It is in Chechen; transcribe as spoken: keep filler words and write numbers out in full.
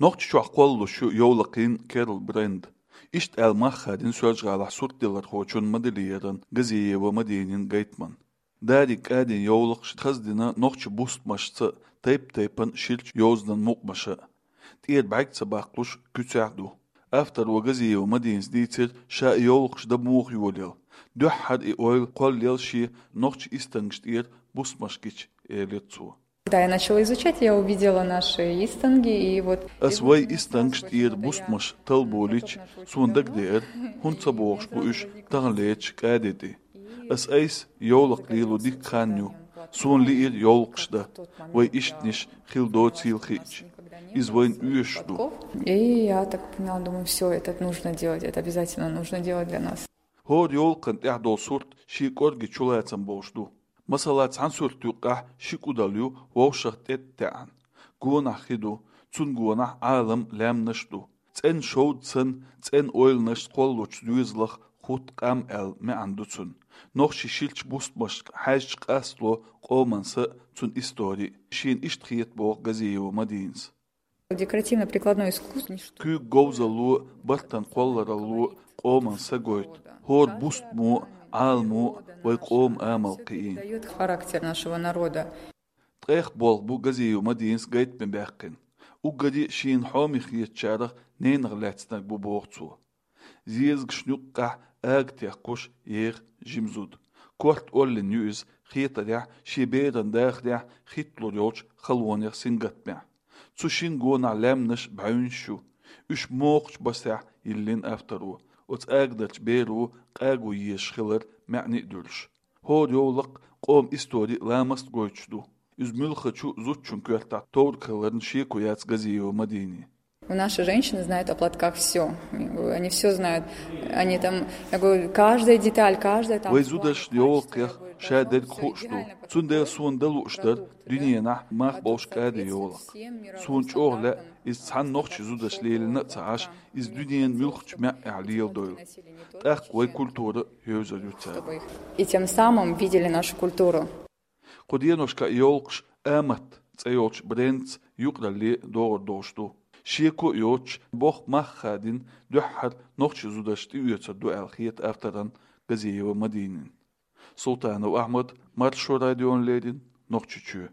Нохчийчохь кхоллалуш ю йовлакхийн керла бренд. Иштта аьлла мах хадийна Соьлжа-ГӀалахь суртдалархочун, модельеран Газиева Мадинин гайтаман. Дарик кӀадийна йовлакхаш хаза дина нохчийн бустамашца, тайп-тайпана ширачу йовзанан мукъамаша. ТӀера бӀаьрг ца баккхалуш куьцехь а ду. Авторо Газиева Мадинас дийцира, ша и йовлакхаш дан муха йолаелла. Дуьххьара и ойла кхоллаелла шен нохчийн истангаш тӀера бустамаш гича, элира цо. Да, я начала изучать, я увидела наши истанги, и вот... Ас вай истангаш тӀера бустамаш талболийча, суна дагадеара, хӀунда ца богӀуш бу уьш таханлерчу кӀаде тӀе. Ас айса йовлакх лело дикка хан ю. Суна лиира йовлакхаш дан, вай иштанаш хила доцийла хиъча. Иза вайна оьшуш ду. И я так поняла, думаю, все, это нужно делать, это обязательно нужно делать для нас. ХӀора йовлакхан тӀехь долу сурт шен кӀорге чулацам болуш ду. Масала, цхьана сурт юккъехь ши кӀудал ю вовшах тӀе а таьӀна. Гонахь хи ду, цунна гонахь Ӏалам, лаьмнаш а ду. ЦӀена шовда санна, цӀена ойланашца кхоллучу доьзалах хӀутту къам аьлла маьӀна ду цуьнан. Нохчийн ширачу бустамашна хьаьжча къастало къоман са а, цуьнан истори а. Шена иштта хета боху Газиева Мадинас. Декоративно-прикладное искусство. Куьйга говзалло, бартан кхолларалло къоман са гойту. ХӀора бустамо а, Ӏаламо а вай къоман амал кхиийна. Даёт характер нашего народа. Ткъех болх бу Газиева Мадинас гайтаме баьккхина. Уггаре а шена хьоме хетачарах ненах лаьцнарг бу, боху цо. Зезагашна юккъехь ага техкуш еха жима зуда. Корта оллина ю иза, хетарехь, шен беран дахарехь хӀитталур йолчу халонех сингаттамехь. Цу шина гонахь лаьмнаш, бӀаьвнаш ю. Уьш мокхачу басехь йиллина авторо. Оцу агадарчу беро къаго езаш хилар маьӀне а дуьллуш. ХӀора йовлакх къоман истори а, ламаст а гойтуш ду. Иза муьлххачу зудчун коьртахь товраг хиларна шеко яц Газиева Мадинин. У наши женщины знают о платках всё. Они всё знают. Они там, я говорю, каждая деталь, каждая там... Вай зудашна йовлакхех ша дерг хууш ду. Цундела суна дан лууш дара дуьненахь мах болуш кӀаде йовлакх. Суна чӀогӀа лаьа, иза цхьана нохчийн зудаш лелийна а ца Ӏаш, иза дуьненан муьлххачу маьӀӀехь леладойла. ТӀаккха вай культура а евзар ю цара. И тем самым видели нашу культуру. Кху деношкахь и йовлакхаш «Амат» цӀе йолчу брендца юкъаралле догӀур долуш ду. Шеко а йоцуш, боху мах хадийна дуьххьара нохчийн зудаш тӀеоьцур ду аьлла хета авторна Газиева Мадинина. Султанов Ахьмад, Маршо радиона леррина, Нохчийчоь.